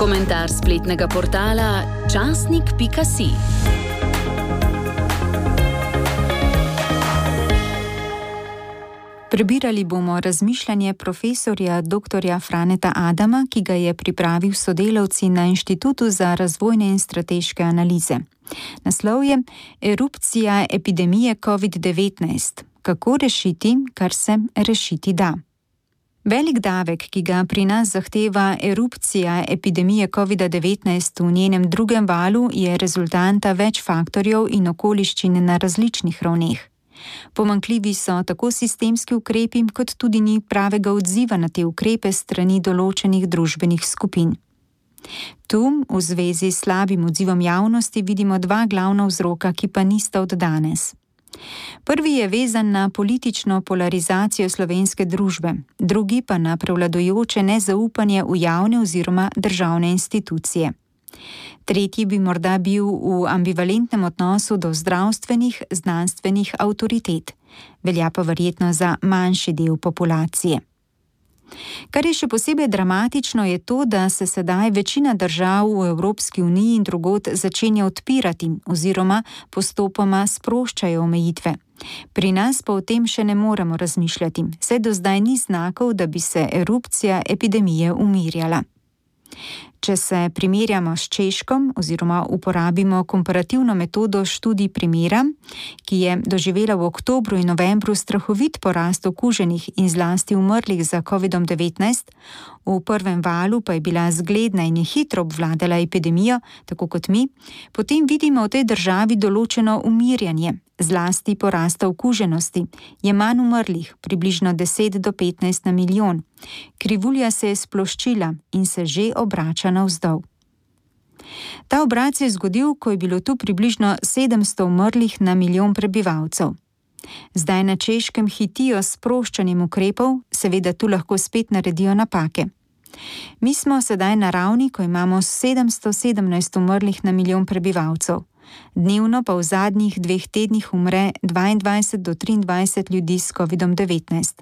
Komentar spletnega portala časnik.si. Prebirali bomo razmišljanje profesorja dr. Franeta Adama, ki ga je pripravil sodelavci na Inštitutu za razvojne in strateške analize. Naslov je Erupcija epidemije COVID-19. Kako rešiti, kar se rešiti da? Velik davek, ki ga pri nas zahteva erupcija epidemije COVID-19 v njenem drugem valu, je rezultanta več faktorjev in okoliščin na različnih ravneh. Pomanjkljivi so tako sistemski ukrepi, kot tudi ni pravega odziva na te ukrepe strani določenih družbenih skupin. Tu, v zvezi s slabim odzivom javnosti, vidimo dva glavna vzroka, ki pa nista od danes. Prvi je vezan na politično polarizacijo slovenske družbe, drugi pa na prevladujoče nezaupanje v javne oziroma državne institucije. Tretji bi morda bil v ambivalentnem odnosu do zdravstvenih, znanstvenih avtoritet, velja pa verjetno za manjši del populacije. Kar je še posebej dramatično, je to, da se sedaj večina držav v Evropski uniji in drugod začenja odpirati oziroma postopoma sproščajo omejitve. Pri nas pa o tem še ne moremo razmišljati, saj do zdaj ni znakov, da bi se erupcija epidemije umirjala. Če se primerjamo s Češko oziroma uporabimo komparativno metodo študij primera, ki je doživela v oktobru in novembru strahovit porast okuženih in zlasti umrlih za COVID-19, v prvem valu pa je bila zgledna in je hitro obvladala epidemijo, tako kot mi, potem vidimo v tej državi določeno umirjanje, zlasti porasta okuženosti, je manj umrlih, približno 10 do 15 na milijon. Krivulja se je sploščila in se že obrača navzdol. Ta obrat se je zgodil, ko je bilo tu približno 700 umrlih na milijon prebivalcev. Zdaj na Češkem hitijo s sproščanjem ukrepov, seveda tu lahko spet naredijo napake. Mi smo sedaj na ravni, ko imamo 717 umrlih na milijon prebivalcev. Dnevno pa v zadnjih 2 tednih umre 22 do 23 ljudi s COVID-19.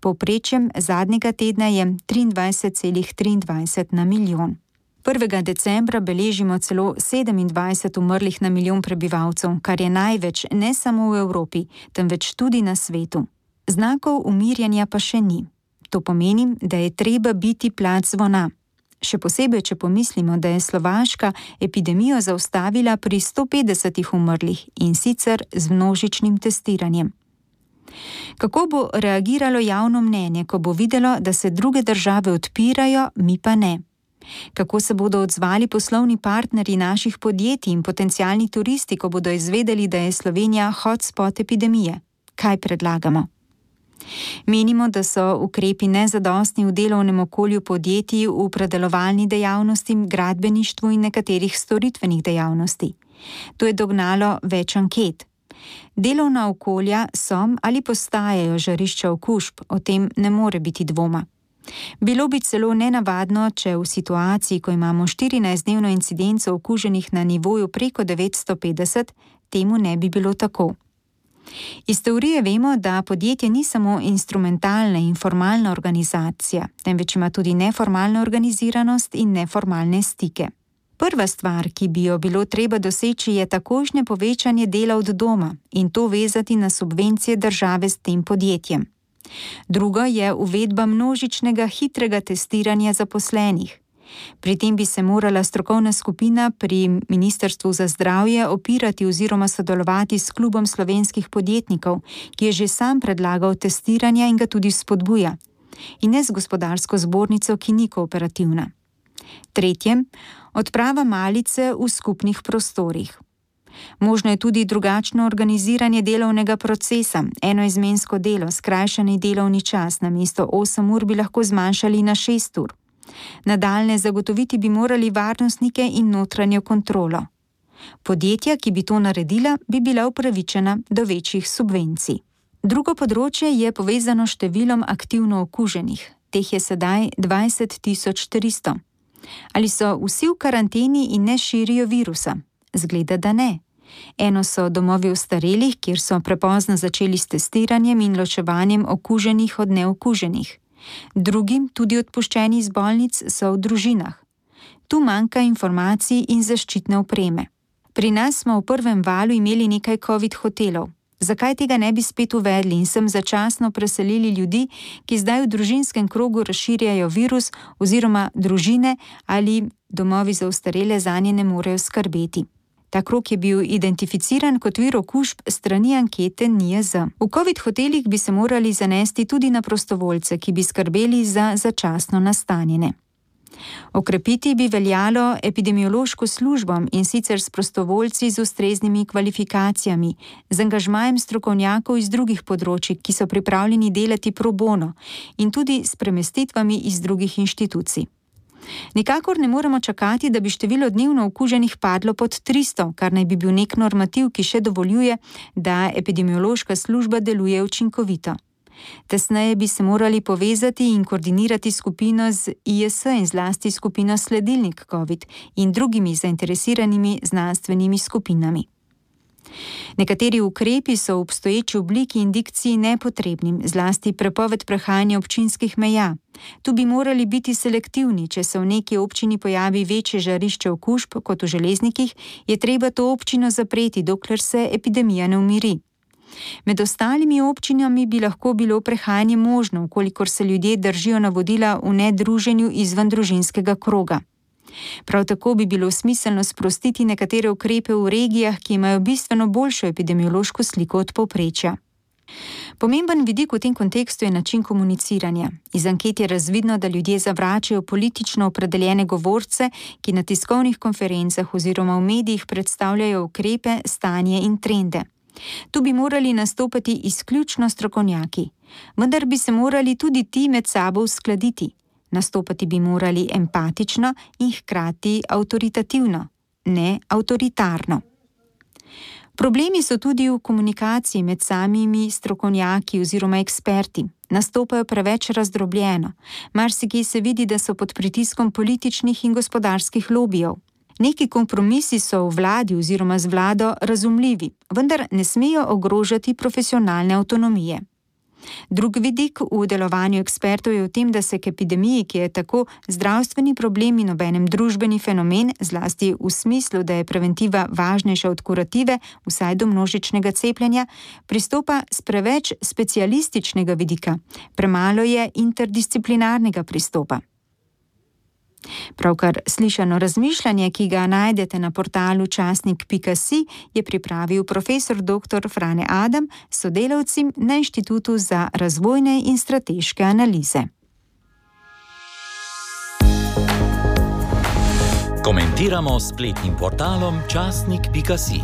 Povprečjem zadnjega tedna je 23,23 na milijon. 1. decembra beležimo celo 27 umrlih na milijon prebivalcev, kar je največ ne samo v Evropi, temveč tudi na svetu. Znakov umirjanja pa še ni. To pomeni, da je treba biti plat zvona. Še posebej, če pomislimo, da je Slovaška epidemijo zaustavila pri 150 umrlih in sicer z množičnim testiranjem. Kako bo reagiralo javno mnenje, ko bo videlo, da se druge države odpirajo, mi pa ne? Kako se bodo odzvali poslovni partnerji naših podjetij in potencialni turisti, ko bodo izvedeli, da je Slovenija hotspot epidemije? Kaj predlagamo? Menimo, da so ukrepi nezadostni v delovnem okolju podjetij v predelovalni dejavnosti, gradbeništvu in nekaterih storitvenih dejavnosti. To je dognalo več anket. Delovna okolja so ali postajajo žarišča okužb, o tem ne more biti dvoma. Bilo bi celo nenavadno, če v situaciji, ko imamo 14-dnevno incidenco okuženih na nivoju preko 950, temu ne bi bilo tako. Iz teorije vemo, da podjetje ni samo instrumentalna in formalna organizacija, temveč ima tudi neformalno organiziranost in neformalne stike. Prva stvar, ki bi jo bilo treba doseči, je takojšnje povečanje dela od doma in to vezati na subvencije države s tem podjetjem. Drugo je uvedba množičnega hitrega testiranja zaposlenih. Pri tem bi se morala strokovna skupina pri Ministrstvu za zdravje opirati oziroma sodelovati s klubom slovenskih podjetnikov, ki je že sam predlagal testiranja in ga tudi spodbuja, in ne z gospodarsko zbornico, ki ni kooperativna. Tretje, odprava malice v skupnih prostorih. Možno je tudi drugačno organiziranje delovnega procesa, enoizmensko delo, skrajšani delovni čas, namesto 8 ur bi lahko zmanjšali na 6 ur. Nadaljnje zagotoviti bi morali varnostnike in notranjo kontrolo. Podjetja, ki bi to naredila, bi bila upravičena do večjih subvencij. Drugo področje je povezano s številom aktivno okuženih. Teh je sedaj 20.300. Ali so vsi v karanteni in ne širijo virusa? Zgleda, da ne. Eno so domovi ostarelih, kjer so prepozno začeli s testiranjem in ločevanjem okuženih od neokuženih. Drugi, tudi odpuščeni iz bolnic, so v družinah. Tu manjka informacij in zaščitne opreme. Pri nas smo v prvem valu imeli nekaj COVID hotelov. Zakaj tega ne bi spet uvedli in sem začasno preselili ljudi, ki zdaj v družinskem krogu razširjajo virus oziroma družine ali domovi za ostarele zanje ne morejo skrbeti. Ta krog je bil identificiran kot vir okužb strani ankete NIJZ. V COVID hotelih bi se morali zanesti tudi na prostovoljce, ki bi skrbeli za začasno nastanjene. Okrepiti bi veljalo epidemiološko službo in sicer s prostovoljci z ustreznimi kvalifikacijami, z angažmajem strokovnjakov iz drugih področij, ki so pripravljeni delati pro bono, in tudi s premestitvami iz drugih inštitucij. Nikakor ne moremo čakati, da bi število dnevno okuženih padlo pod 300, kar naj bi bil nek normativ, ki še dovoljuje, da epidemiološka služba deluje učinkovito. Tesneje bi se morali povezati in koordinirati skupino z IS in zlasti skupino Sledilnik COVID in drugimi zainteresiranimi znanstvenimi skupinami. Nekateri ukrepi so v obstoječi obliki in dikciji nepotrebni, zlasti prepoved prehajanja občinskih meja. Tu bi morali biti selektivni, če se v neki občini pojavi večje žarišče okužb kot v Železnikih, je treba to občino zapreti, dokler se epidemija ne umiri. Med ostalimi občinami bi lahko bilo prehajanje možno, kolikor se ljudje držijo navodila v nedruženju izven družinskega kroga. Prav tako bi bilo smiselno sprostiti nekatere ukrepe v regijah, ki imajo bistveno boljšo epidemiološko sliko od povprečja. Pomemben vidik v tem kontekstu je način komuniciranja. Iz anket je razvidno, da ljudje zavračajo politično opredeljene govorce, ki na tiskovnih konferencah oziroma v medijih predstavljajo ukrepe, stanje in trende. Tu bi morali nastopati izključno strokovnjaki, vendar bi se morali tudi ti med sabo uskladiti. Nastopati bi morali empatično in hkrati avtoritativno, ne avtoritarno. Problemi so tudi v komunikaciji med samimi strokovnjaki oziroma eksperti. Nastopajo preveč razdrobljeno. Marsikje se vidi, da so pod pritiskom političnih in gospodarskih lobijev. Neki kompromisi so v vladi oziroma z vlado razumljivi, vendar ne smejo ogrožati profesionalne avtonomije. Drug vidik v delovanju ekspertov je v tem, da se k epidemiji, ki je tako zdravstveni problem in obenem družbeni fenomen, zlasti v smislu, da je preventiva važnejša od kurative, vsaj do množičnega cepljenja, pristopa s preveč specialističnega vidika. Premalo je interdisciplinarnega pristopa. Pravkar slišano razmišljanje, ki ga najdete na portalu časnik.si, je pripravil profesor dr. Frane Adam s sodelavci na Inštitutu za razvojne in strateške analize. Komentiramo s spletnim portalom časnik.si.